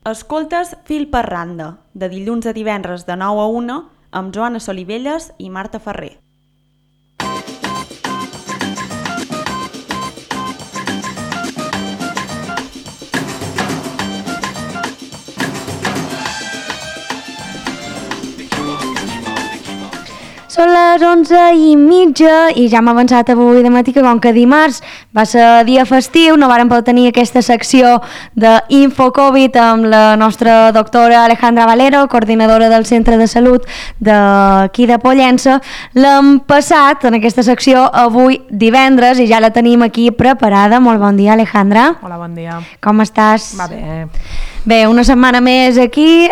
Escoltes Fil per randa, de dilluns a divendres de 9 a 1, amb Joana Solivelles i Marta Ferrer. Són les 11:30 i ja hem avançat avui de matí que com que dimarts va ser dia festiu no vàrem poder tenir aquesta secció d'InfoCovid amb la nostra doctora Alejandra Valero, coordinadora del Centre de Salut d'aquí de Pollença. L'hem passat en aquesta secció avui divendres i ja la tenim aquí preparada. Molt bon dia, Alejandra. Hola, bon dia. Com estàs? Va bé. Bé, una setmana més aquí.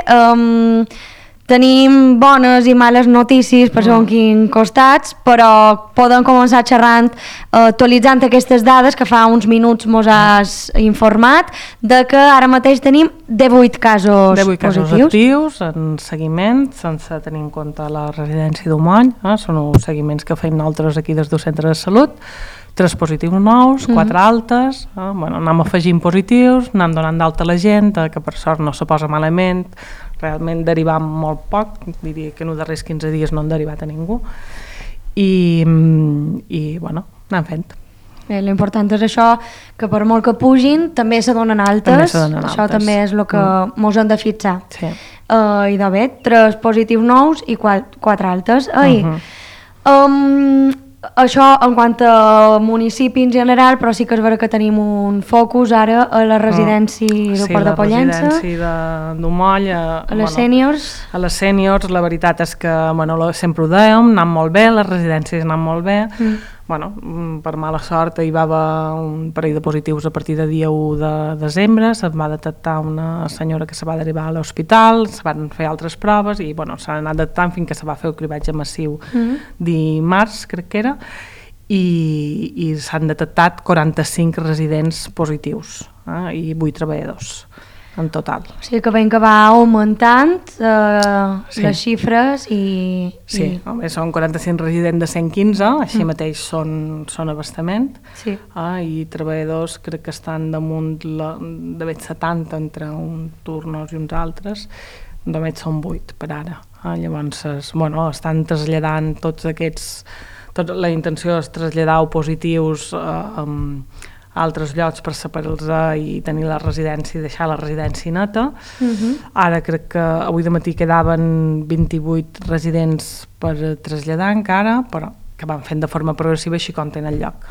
Tenim bones i males notícies per segons quins costats, però podem començar xerrant, actualitzant aquestes dades que fa uns minuts mos has informat de que ara mateix tenim 18 casos 18 casos positius. actius en seguiment, sense tenir en compte la residència d'Umoll. Són els seguiments que feim nosaltres aquí des del centre de salut. 3 positius nous, 4 altes, anem afegint positius, anem donant d'alta a la gent, que per sort no se posa malament, realment derivant molt poc, diria que en els darrers 15 dies no han derivat a ningú, i bueno, anem fent. L'important és això, que per molt que pugin també se donen altes, això també és el que mos hem de fixar. Sí. I de bé, 3 positius nous i 4 altes. Això en quant a municipi en general, però sí que és vera que tenim un focus ara a la residència de Port de Pollença. Sí, la residència d'Umoll. A les sèniors. A les sèniors, la veritat és que sempre ho dèiem, anant molt bé, les residències anant molt bé. Per mala sort hi va haver un parell de positius a partir de dia 1 de desembre, se'n va detectar una senyora que se va derivar a l'hospital, se van fer altres proves i s'han anat detectant fins que se va fer el cribatge massiu dimarts, crec que era, i s'han detectat 45 residents positius i 8 treballadors en total. O sigui que veiem que va augmentant les xifres i... Sí, són 45 residents de 115, així mateix són abastament, i treballadors crec que estan damunt d'haver 70 entre uns turnos i uns altres, només són 8 per ara. Llavors, estan traslladant tots aquests... La intenció és traslladar positius a altres llocs per separar-los i tenir la residència i deixar la residència neta. Ara crec que avui de matí quedaven 28 residents per traslladar encara, però que van fent de forma progressiva així com tenen lloc.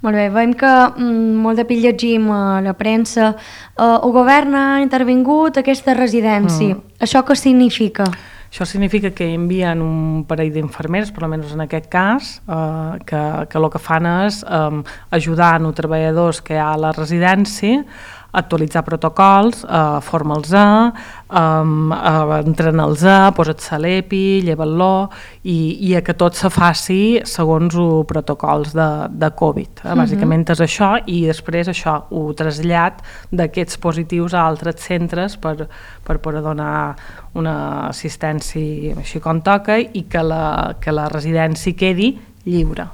Molt bé, veiem que molt de pil llegim a la premsa. El govern ha intervingut aquesta residència. Això què significa? Això significa que envien un parell d'infermeres, per almenys en aquest cas, que el que fan és ajudar els treballadors que hi ha a la residència, actualitzar protocols, formar-los, entrenar-los, posar-se a l'EPI, llevar-lo i que tot se faci segons els protocols de Covid. Bàsicament és això i després això ho trasllat d'aquests positius a altres centres per poder donar una assistència així com toca i que la residència quedi lliure.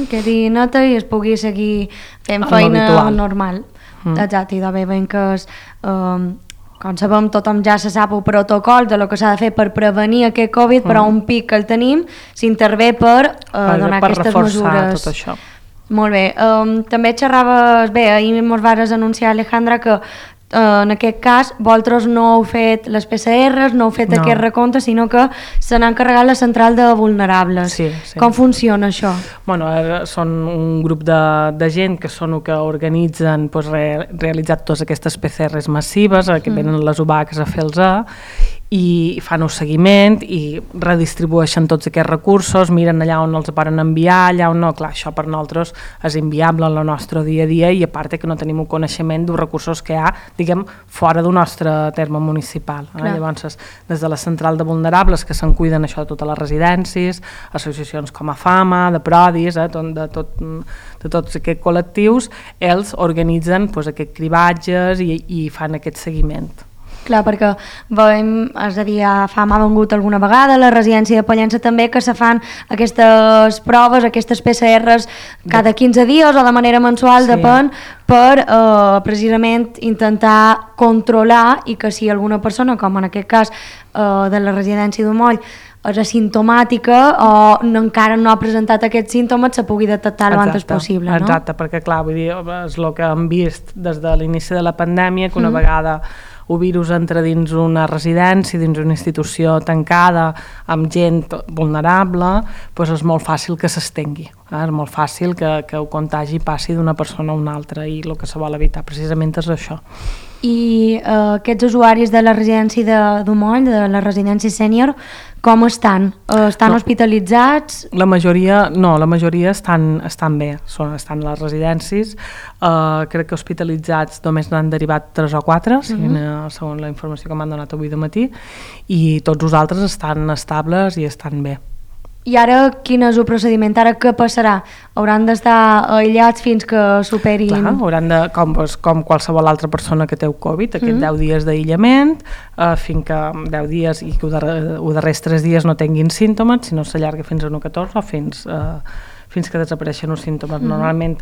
Quedi neta i es pugui seguir fent feina normal. Exacte, i de bé veiem que com sabem tothom ja se sap el protocol de lo que s'ha de fer per prevenir aquest Covid, però un pic que el tenim s'intervé per donar aquestes mesures. Per reforçar tot això. Molt bé, també xerraves, ahir mos vas anunciar, Alejandra, que en aquest cas vosaltres no heu fet les PCRs, no heu fet aquest recompte, sinó que se n'ha encarregat la central de vulnerables. Sí. Com funciona això? Són un grup de gent que són els que organitzen realitzar totes aquestes PCRs massives, que venen les UBACs a fer-los i fan un seguiment i redistribueixen tots aquests recursos, miren allà on els poden enviar, allà on no. Clar, això per nosaltres és inviable en el nostre dia a dia i a part que no tenim un coneixement dels recursos que hi ha, diguem, fora del nostre terme municipal. Llavors, des de la central de vulnerables que se'n cuiden això de totes les residències, associacions com a Fama, de Prodis, de tots aquests col·lectius, ells organitzen aquests cribatges i fan aquest seguiment. Clar, perquè veiem, és a dir, fa m'ha vengut alguna vegada a la residència de Pollença també que se fan aquestes proves, aquestes PCRs cada 15 dies o de manera mensual, depèn, per precisament intentar controlar i que si alguna persona, com en aquest cas de la residència d'Umoll, és asimptomàtica o encara no ha presentat aquests símptomes, se pugui detectar el abans possible, no? Exacte, perquè clar, vull dir, és el que hem vist des de l'inici de la pandèmia, que una vegada el virus entra dins una residència, dins una institució tancada, amb gent vulnerable, doncs és molt fàcil que s'estengui. És molt fàcil que el contagi passi d'una persona a una altra i el que se vol evitar precisament és això. I aquests usuaris de la residència d'Umoll, de la residència sènior, com estan? Estan hospitalitzats? La majoria estan bé, estan a les residències. Crec que hospitalitzats només n'han derivat 3 o 4, segons la informació que m'han donat avui de matí, i tots els altres estan estables i estan bé. I ara quin és el procediment? Ara què passarà? Hauran d'estar aïllats fins que superin... Clar, hauran de, com qualsevol altra persona que té Covid, aquests 10 dies d'aïllament, fins que 10 dies i que els darrers 3 dies no tinguin símptomes, si no s'allarga fins a 1,14 o fins que desapareixen els símptomes. Normalment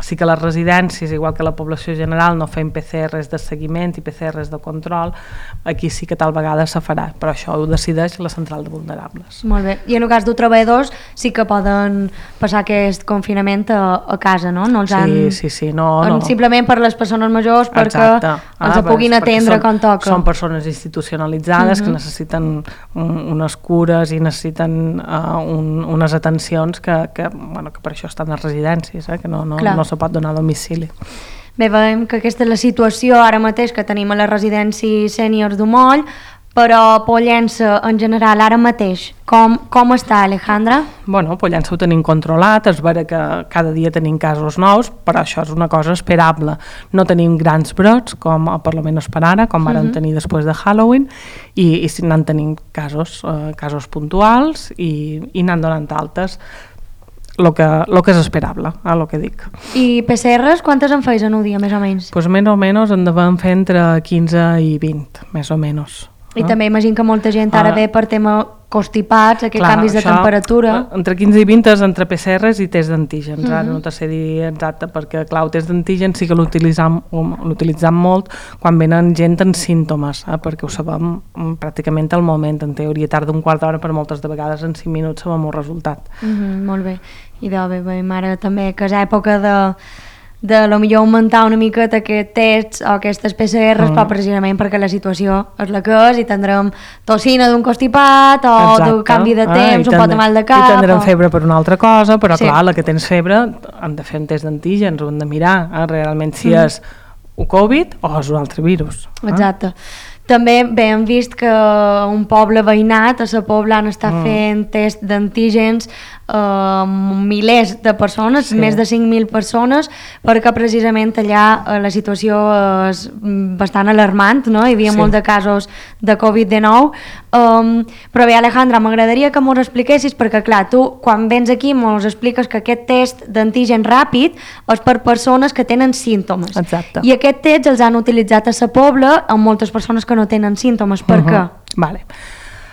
sí que les residències, igual que la població general, no fem PCRs de seguiment i PCRs de control, aquí sí que tal vegada se farà, però això ho decideix la central de vulnerables. Molt bé, i en el cas dels treballadors sí que poden passar aquest confinament a casa, no? No els han... Sí, no. Simplement per les persones majors perquè els puguin atendre com toca. Són persones institucionalitzades que necessiten unes cures i necessiten unes atencions que per això estan a les residències, que no se pot donar a domicili. Bé, veiem que aquesta és la situació ara mateix que tenim a la residència sèniors d'Umoll, però Pollença en general ara mateix, com està, Alejandra? Bueno, Pollença ho tenim controlat, és vera que cada dia tenim casos nous, però això és una cosa esperable. No tenim grans brots, com per almenys per ara, com vam tenir després de Halloween, i n'han tenim casos puntuals i n'han donat altes. Lo que és esperable, el que dic. I PCRs, quantes en feis en un dia, més o menys? Pues més o menys en devem fer entre 15 i 20, més o menys. I també imagino que molta gent ara ve per tema constipats, aquests canvis de temperatura. Entre 15 i 20 és entre PCRs i test d'antígens. Ara no te sé dir exacte, perquè clar, el test d'antígens sí que l'utilitzam molt quan venen gent amb símptomes, perquè ho sabem pràcticament al moment. En teoria tarda un quart d'hora, però moltes de vegades en 5 minuts sabem el resultat. Molt bé. I veiem ara també que és època de millor augmentar una miqueta aquest tests o aquestes PCRs, però precisament perquè la situació és la que és i tindrem tossina d'un constipat o d'un canvi de temps, un pot de mal de cap. I tindrem febre per una altra cosa, però clar, la que tens febre hem de fer un test d'antígens, ho hem de mirar realment si és un Covid o és un altre virus. Exacte. També hem vist que un poble veïnat, a Sa Pobla, està fent test d'antígens milers de persones, més de 5.000 persones, perquè precisament allà la situació és bastant alarmant, no? Hi havia molts de casos de Covid-19. Però bé, Alejandra, m'agradaria que m'ho expliquessis, perquè clar, tu quan vens aquí mos expliques que aquest test d'antígen ràpid és per persones que tenen símptomes. Exacte. I aquest test els han utilitzat a Sa Pobla amb moltes persones que no tenen símptomes. Per què?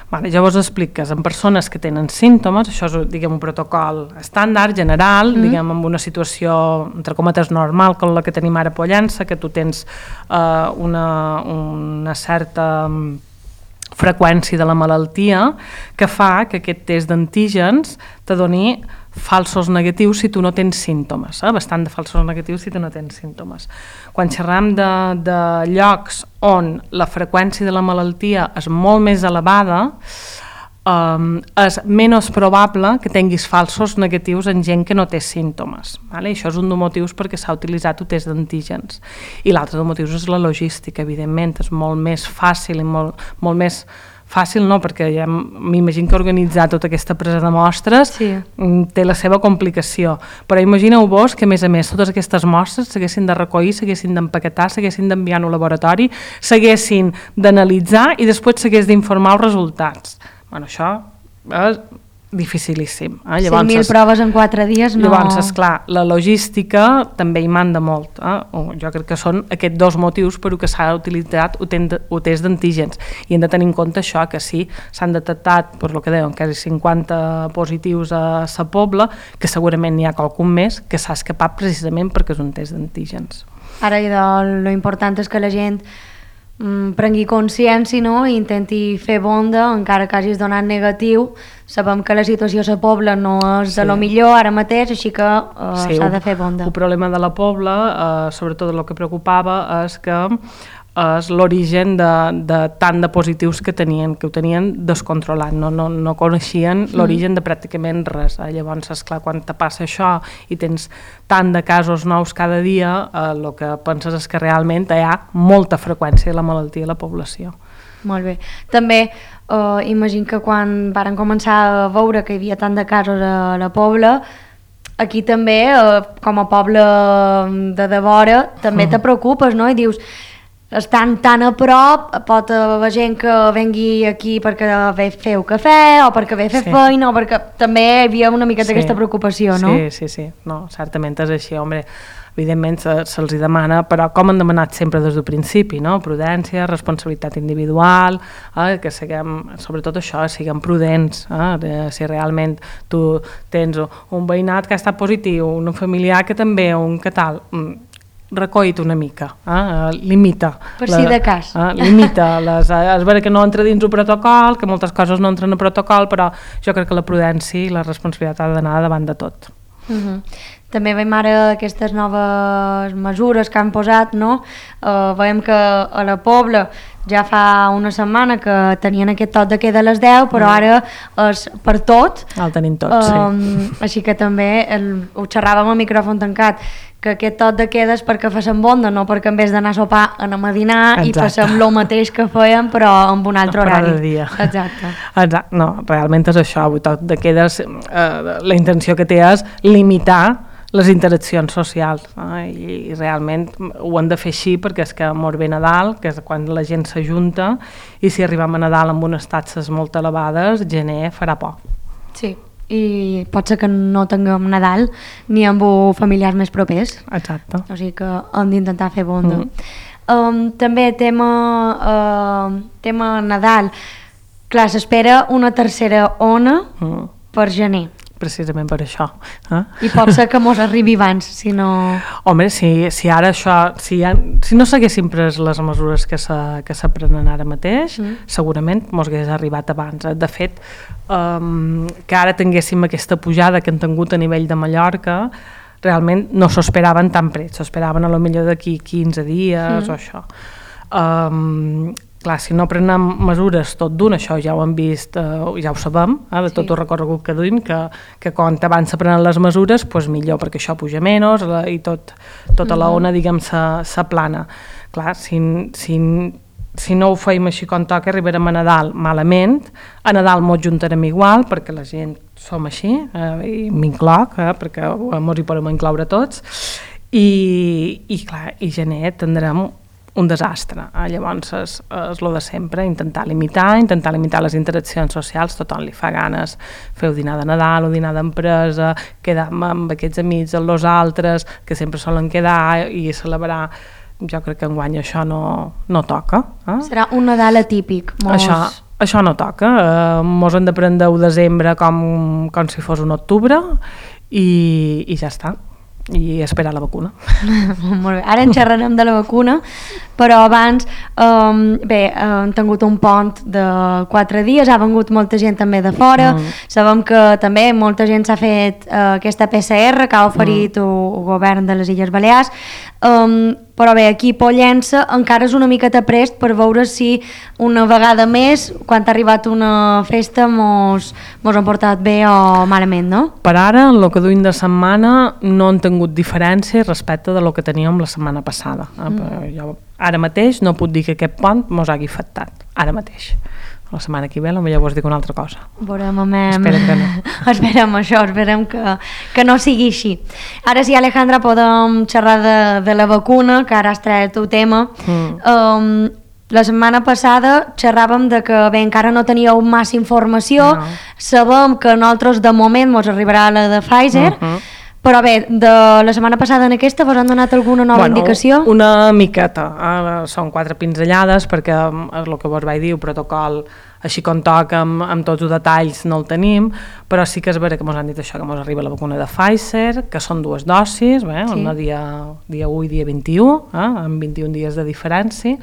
Vale, llavors expliques, en persones que tenen símptomes, això és diguem, un protocol estàndard, general, diguem, amb una situació, entre cometes, normal, com la que tenim ara a Pollença, que tu tens una certa freqüència de la malaltia que fa que aquest test d'antígens te doni falsos negatius si tu no tens símptomes, bastant de falsos negatius si tu no tens símptomes. Quan xerram de llocs on la freqüència de la malaltia és molt més elevada, és menys probable que tinguis falsos negatius en gent que no té símptomes. Això és un dels motius perquè s'ha utilitzat el test d'antígens. I l'altre dels motius és la logística, evidentment, és molt més fàcil i molt més fàcil, no, perquè ja m'imagino que organitzar tota aquesta presa de mostres té la seva complicació, però imagineu-vos que a més totes aquestes mostres s'haguessin de recollir, s'haguessin d'empaquetar, s'haguessin d'enviar al laboratori, s'haguessin d'analitzar i després s'hagués d'informar els resultats. Això és dificilíssim. 5.000 proves en 4 dies no... Llavors, esclar, la logística també hi manda molt. Jo crec que són aquests 2 motius per què s'ha utilitzat el test d'antígens. I hem de tenir en compte això, que sí, s'han detectat, per lo que deuen, quasi 50 positius a la Pobla, que segurament n'hi ha qualcun més que s'ha escapat precisament perquè és un test d'antígens. Ara, lo important és que la gent prengui consciència, no? I intenti fer bonda, encara que hagis donat negatiu. Sabem que la situació a la Pobla no és de lo millor ara mateix, així que s'ha de fer bonda. El problema de la Pobla, sobretot el que preocupava, és que és l'origen de tant de positius que ho tenien descontrolat, no coneixien l'origen de pràcticament res. Llavors, esclar, quan te passa això i tens tant de casos nous cada dia, el que penses és que realment hi ha molta freqüència de la malaltia a la població. Molt bé. També imagino que quan varen començar a veure que hi havia tant de casos a la Pobla, aquí també, com a poble de devora, també te preocupes, no? I dius, estan tan a prop, pot haver gent que vengui aquí perquè ve feu cafè o perquè ve fer feina o perquè també hi havia una miqueta aquesta preocupació, no? Sí, no, certament és així, home, evidentment se'ls demana, però com han demanat sempre des del principi, no? Prudència, responsabilitat individual, que siguem, sobretot això, siguem prudents, si realment tu tens un veïnat que ha estat positiu, un familiar que també, un que tal, recoll-te una mica, limita. Per si de cas. Limita. És vera que no entra dins el protocol, que moltes coses no entren al protocol, però jo crec que la prudència i la responsabilitat ha d'anar davant de tot. També veiem ara aquestes noves mesures que han posat, no? Veiem que a la Pobla ja fa una setmana que tenien aquest toc de queda a les 10, però ara és per tot. El tenim tot, sí. Així que també ho xerràvem al micròfon tancat, que aquest toc de queda és perquè facem bonda, no perquè en vez d'anar a sopar anem a dinar. Exacte. I passem el mateix que fèiem però amb un altre horari. Cada dia. Exacte. No, realment és això, el toc de queda, la intenció que té és limitar les interaccions socials, i realment ho han de fer així perquè és que mor bé Nadal, que és quan la gent s'ajunta, i si arribem a Nadal amb unes taxes molt elevades, gener farà por. Sí, i pot ser que no tinguem Nadal ni amb familiars més propers. Exacte. O sigui que hem d'intentar fer bonda. També tema Nadal. Clar, s'espera una tercera ona per gener. Precisament per això. I pot ser que mos arribi abans, si no... Home, si ara això... Si no s'haguessin pres les mesures que se prenen ara mateix, segurament mos hagués arribat abans. De fet, que ara tinguéssim aquesta pujada que han tingut a nivell de Mallorca, realment no s'esperaven tan pret, s'esperaven a lo millor d'aquí 15 dies o això. Clar, si no prenem mesures tot d'un, això ja ho hem vist, ja ho sabem, de tot el recorregut que duim, que quan abans se prenen les mesures, doncs millor, perquè això puja menys i tota la ona, diguem, s'aplana. Clar, si no ho feim així com toca, arribarem a Nadal malament, a Nadal mos juntarem igual, perquè la gent som així, i m'incloc, perquè mos hi podem incloure tots, i clar, i gener tindrem un desastre. Llavors és el de sempre, intentar limitar les interaccions socials. Tothom li fa ganes fer dinar de Nadal o dinar d'empresa, quedar amb aquests amics, amb els altres, que sempre solen quedar i celebrar. Jo crec que enguany això no toca. Serà un Nadal atípic. Això no toca. Mos hem de prendre el desembre com si fos un octubre i ja està. I esperar la vacuna. Molt bé, ara en xerrarem de la vacuna, però abans hem tingut un pont de 4 dies, ha vengut molta gent també de fora, sabem que també molta gent s'ha fet aquesta PCR que ha oferit el govern de les Illes Balears, però bé, aquí Pollença encara és una miqueta prest per veure si una vegada més, quan ha arribat una festa, mos han portat bé o malament, no? Per ara, en el que duim de setmana, no han tingut diferència respecte de lo que teníem la setmana passada. Jo ara mateix no puc dir que aquest pont mos hagi afectat, ara mateix. La setmana que ve potser vos dic una altra cosa. Veurem, esperem que no. Esperem això, esperem que no sigui així. Ara sí, Alejandra, podem xerrar de la vacuna, que ara has tret el tema. la setmana passada xerràvem de que bé, encara no teníeu massa informació, sabem que a nosaltres de moment ens arribarà la de Pfizer, però bé, de la setmana passada en aquesta vos han donat alguna nova indicació? Una miqueta, són 4 pinzellades perquè és el que vos vaig dir, el protocol així com toca amb tots els detalls no el tenim, però sí que és vera que ens han dit això, que ens arriba la vacuna de Pfizer, que són 2 dosis, una dia 1 i dia 21, amb 21 dies de diferència,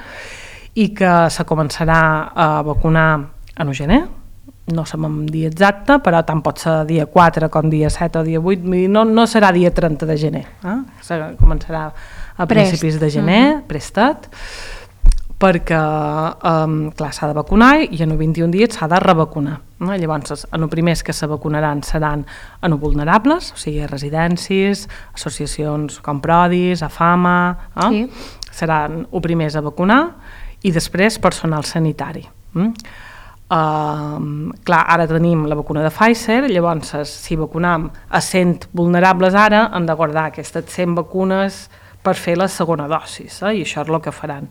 i que se començarà a vacunar en el gener, no sabem dia exacte, però tant pot ser dia 4 com dia 7 o dia 8, no serà dia 30 de gener, començarà a principis de gener, prestat, perquè clar, s'ha de vacunar i en els 21 dies s'ha de revacunar. Llavors, en els primers que se vacunaran seran en els vulnerables, o sigui, residències, associacions com Prodis, AFAMA, seran els primers a vacunar i després personal sanitari. Clar, ara tenim la vacuna de Pfizer, llavors si vacunam a 100 vulnerables ara hem de guardar aquestes 100 vacunes per fer la segona dosis, i això és el que faran.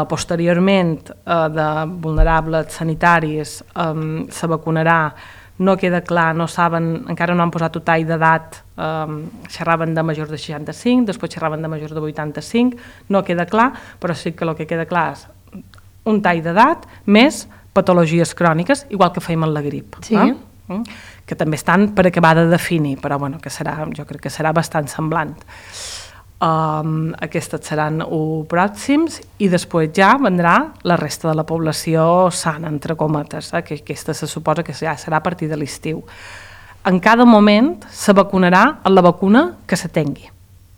Posteriorment de vulnerables sanitaris se vacunarà, no queda clar, no saben, encara no han posat el tall d'edat, xerraven de majors de 65, després xerraven de majors de 85, no queda clar, però sí que el que queda clar és un tall d'edat més patologies cròniques, igual que fèiem amb la grip, que també estan per acabar de definir, però bueno, jo crec que serà bastant semblant. Aquests seran els pròxims i després ja vendrà la resta de la població sana, entre cometes, que aquesta se suposa que ja serà a partir de l'estiu. En cada moment se vacunarà amb la vacuna que se tingui.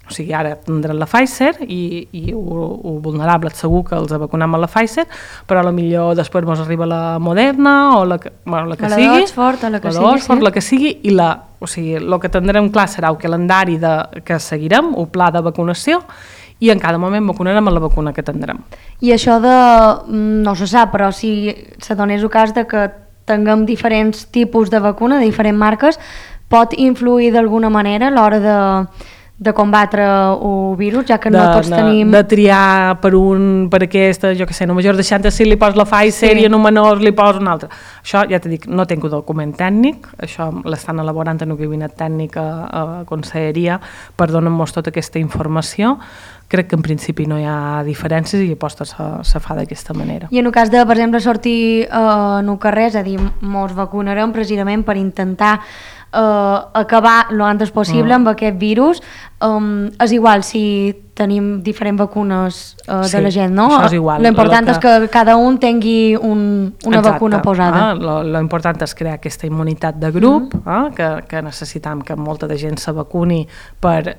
O sigui, ara tindran la Pfizer i el vulnerable segur que els vacunem amb la Pfizer, però potser després ens arriba la Moderna o la que sigui, la que sigui, i o sigui, el que tindrem clar serà el calendari que seguirem, el pla de vacunació, i en cada moment vacunarem amb la vacuna que tindrem. I això no se sap, però si se donés el cas de que tinguem diferents tipus de vacuna, de diferents marques, pot influir d'alguna manera a l'hora de combatre el virus, ja que no tots tenim... De triar per aquesta, jo què sé, en un major de 65 li pos la Pfizer i en un menor li pos una altra. Això, ja t'he dit, no tinc el document tècnic, això l'estan elaborant en el gabinet tècnic a Conselleria per donar-nos tota aquesta informació. Crec que en principi no hi ha diferències i aposta se fa d'aquesta manera. I en el cas de, per exemple, sortir en el carrer, és a dir, ens vacunarem precisament per intentar acabar lo antes possible amb aquest virus. És igual si tenim diferents vacunes de la gent, no? Això és igual. L'important és que cada un tingui una vacuna posada. L'important és crear aquesta immunitat de grup, que necessitam que molta de gent se vacuni per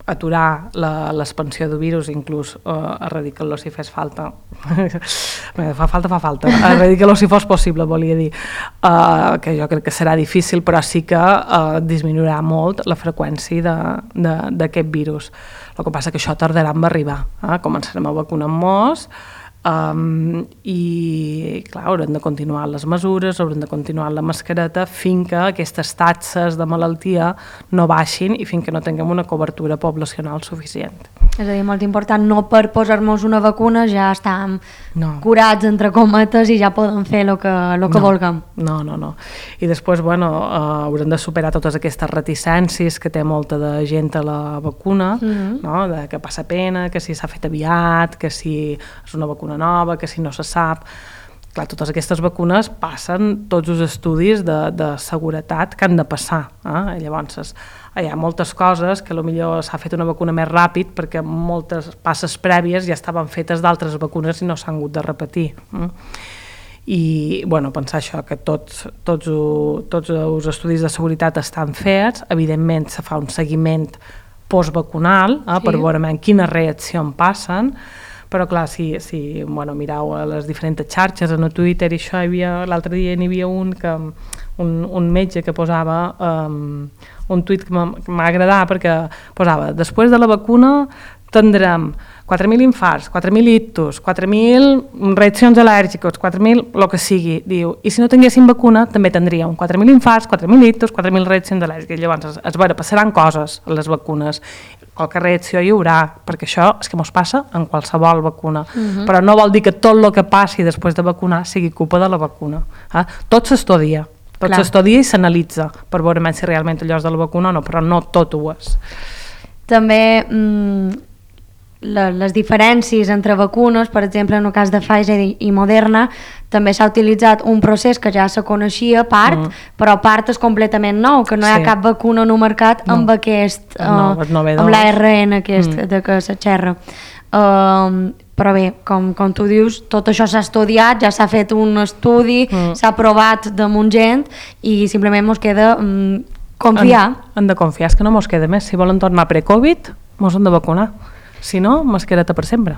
aturar l'expansió del virus, inclús erradicar-lo si fes falta. Fa falta. Erradicar-lo si fos possible, volia dir. Que jo crec que serà difícil, però sí que disminuirà molt la freqüència d'aquest virus. El que passa que això tardarà en arribar. Començarem a vacunar molts, i clar, haurem de continuar les mesures, haurem de continuar la mascareta fins que aquestes taxes de malaltia no baixin i fins que no tinguem una cobertura poblacional suficient. És a dir, molt important, no per posar-nos una vacuna ja estem curats, entre cometes, i ja podem fer el que vulguem. No. I després, haurem de superar totes aquestes reticències que té molta de gent a la vacuna, que passa pena, que si s'ha fet aviat, que si és una vacuna nova, que si no se sap. Clar, totes aquestes vacunes passen tots els estudis de seguretat que han de passar. Llavors, hi ha moltes coses que potser s'ha fet una vacuna més ràpid perquè moltes passes prèvies ja estaven fetes d'altres vacunes i no s'han hagut de repetir. I pensar això, que tots els estudis de seguretat estan fets, evidentment se fa un seguiment postvacunal per veure quines reaccions passen, però clar, si mireu a les diferents xarxes, en Twitter i això, l'altre dia n'hi havia un metge que posava un tuit que m'ha agradat perquè posava, després de la vacuna tindrem 4.000 infarts, 4.000 ictus, 4.000 reaccions al·lèrgiques, 4.000, el que sigui, diu, i si no tinguéssim vacuna també tindríem 4.000 infarts, 4.000 ictus, 4.000 reaccions al·lèrgiques. Llavors, és vera, passaran coses a les vacunes, qualque reacció hi haurà, perquè això és que mos passa en qualsevol vacuna. Però no vol dir que tot el que passi després de vacunar sigui culpa de la vacuna. Tot s'estudia. Tot s'estudia i s'analitza per veure si realment allò és de la vacuna o no, però no tot ho és. També les diferències entre vacunes, per exemple, en el cas de Pfizer i Moderna, també s'ha utilitzat un procés que ja se coneixia, part, però part és completament nou, que no hi ha cap vacuna en el mercat amb aquest, amb l'ARN aquest de què se xerra. Però bé, com tu dius, tot això s'ha estudiat, ja s'ha fet un estudi, s'ha provat damunt gent i simplement ens queda confiar. Hem de confiar, és que no ens queda més. Si volen tornar pre-Covid, ens hem de vacunar. Si no, mascareta per sempre.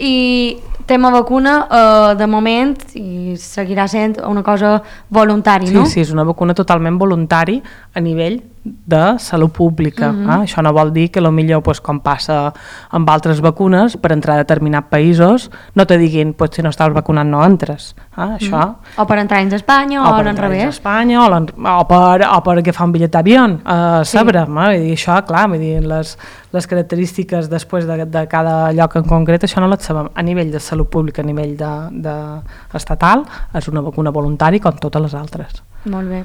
I tema vacuna, de moment, i seguirà sent una cosa voluntària, no? Sí, és una vacuna totalment voluntari a nivell de salut pública. Això no vol dir que potser, com passa amb altres vacunes, per entrar a determinats països no te diguin, si no estàs vacunat no entres. Això. O per entrar dins d'Espanya o al revés. Espanya, o per agafar un bitllet d'avió a Sabre. Això, clar, les característiques després de cada lloc en concret, això no les sabem. A nivell de salut pública, a nivell estatal, és una vacuna voluntària com totes les altres. Molt bé.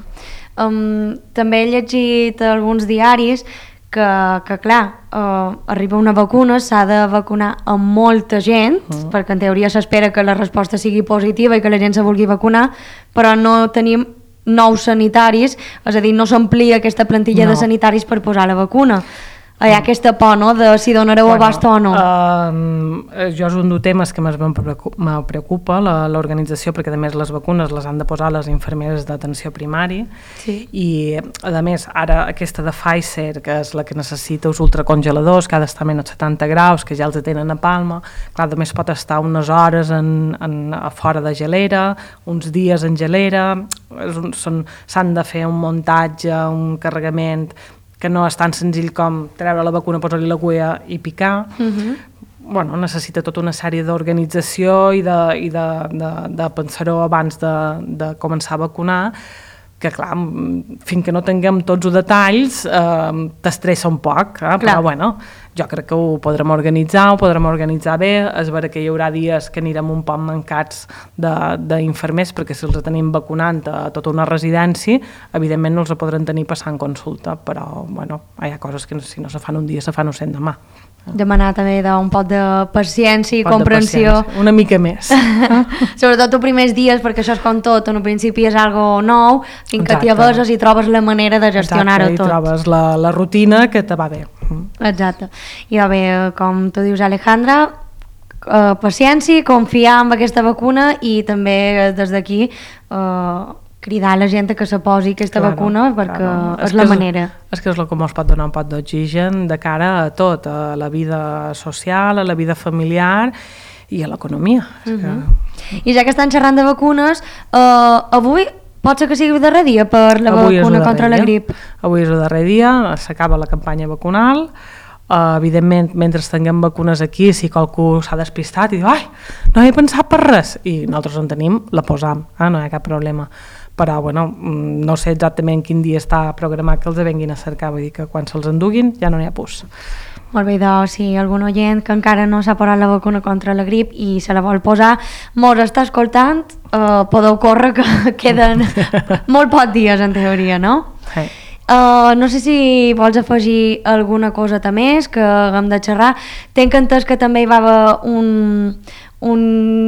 També he llegit alguns diaris que clar, arriba una vacuna, s'ha de vacunar amb molta gent, perquè en teoria s'espera que la resposta sigui positiva i que la gent se vulgui vacunar, però no tenim nous sanitaris, és a dir, no s'amplia aquesta plantilla de sanitaris per posar la vacuna. Hi ha aquesta por, no?, de si donareu abast o no. Jo és un dels temes que més me preocupa, l'organització, perquè a més les vacunes les han de posar les infermeres d'atenció primària i a més ara aquesta de Pfizer, que és la que necessita els ultracongeladors, que ha d'estar a menys 70 graus, que ja els tenen a Palma, clar, a més pot estar unes hores a fora de gelera, uns dies en gelera, s'han de fer un muntatge, un carregament que no és tan senzill com treure la vacuna, posar-li l'agulla i picar. Necessita tota una sèrie d'organització i de pensar-ho abans de començar a vacunar, que clar, fins que no tinguem tots els detalls t'estressa un poc, però bueno, jo crec que ho podrem organitzar bé. És vera que hi haurà dies que anirem un poc mancats d'infermers, perquè si els tenim vacunant a tota una residència, evidentment no els podrem tenir passant consulta, però bueno, hi ha coses que si no se fan un dia se fan 100 demà. Demanar també un poc de paciència i comprensió. Una mica més. Sobretot els primers dies, perquè això és com tot, en principi és algo nou, fins que t'hi aveses i trobes la manera de gestionar-ho tot. I trobes la rutina que te va bé. Exacte. I bé, com tu dius, Alejandra, paciència, confiar en aquesta vacuna i també des d'aquí cridar a la gent que se posi aquesta vacuna perquè és la manera. És que és el que ens pot donar un pot d'oxigen de cara a tot, a la vida social, a la vida familiar i a l'economia. I ja que estan xerrant de vacunes, avui pot ser que sigui el darrer dia per la vacuna contra la grip. Avui és el darrer dia, s'acaba la campanya vacunal. Evidentment, mentre tinguem vacunes aquí, si qualcú s'ha despistat i diu no he pensat per res, i nosaltres en tenim, la posam, no hi ha cap problema. Però bueno, no sé exactament quin dia està programat que els venguin a cercar, vull dir que quan se'ls enduguin ja no n'hi ha pus. Molt bé, doncs, si algun oient que encara no s'ha posat la vacuna contra la grip i se la vol posar, mos està escoltant, podeu córrer que queden molt pocs dies en teoria, no? Sí. No sé si vols afegir alguna coseta més que haguem de xerrar. Tenc entès que també hi va haver un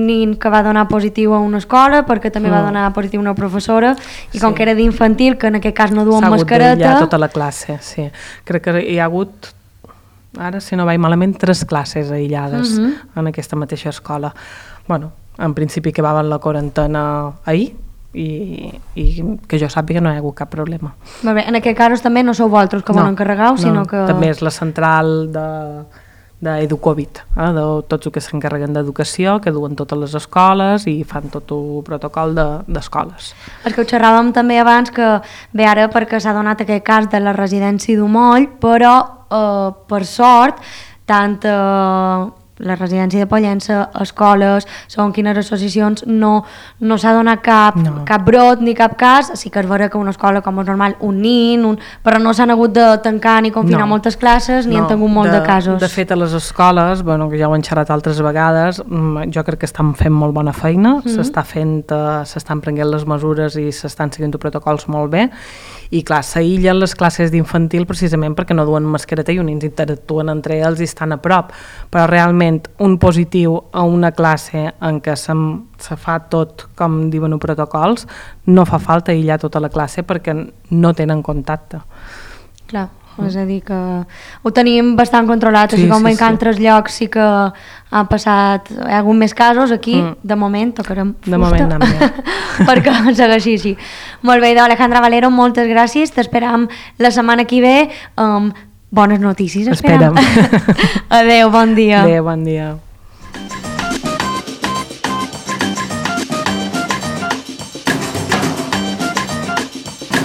nin que va donar positiu a una escola perquè també va donar positiu a una professora i com que era d'infantil, que en aquest cas no duen mascareta... S'ha hagut tota la classe, sí. Crec que hi ha hagut, ara si no vaig malament, 3 classes aïllades en aquesta mateixa escola. Bueno, en principi que va en la quarantena ahir, i que jo sàpiga no hi ha hagut cap problema. Molt bé, en aquest cas també no sou vosaltres que volen encarregar, sinó que... També és la central d'Educovid, de tots els que s'encarreguen d'educació, que duen totes les escoles i fan tot el protocol d'escoles. És que ho xerràvem també abans, que bé, ara perquè s'ha donat aquest cas de la residència d'Umoll, però per sort, tant la residència de Pollença, escoles, segons quines associacions, no s'ha donat cap brot ni cap cas. Sí que és vera que una escola, com és normal, un nin, però no s'han hagut de tancar ni confinar moltes classes, ni han tingut molt de casos. De fet, a les escoles, que ja ho hem xerrat altres vegades, jo crec que estan fent molt bona feina, s'estan prenent les mesures i s'estan seguint els protocols molt bé, i clar, s'aïllen les classes d'infantil precisament perquè no duen mascareta i uns interactuen entre ells i estan a prop, però realment un positiu a una classe en què se fa tot com diuen els protocols, no fa falta aïllar tota la classe perquè no tenen contacte. Clar, és a dir que ho tenim bastant controlat, així com en altres llocs sí que han passat, hi ha hagut més casos, aquí de moment tocarem fusta. De moment anem bé. Perquè segueixi així. Molt bé, Alejandra Valero, moltes gràcies, t'esperam la setmana que ve, bones notícies, esperem. Esperem. Adéu, bon dia. Adéu, bon dia.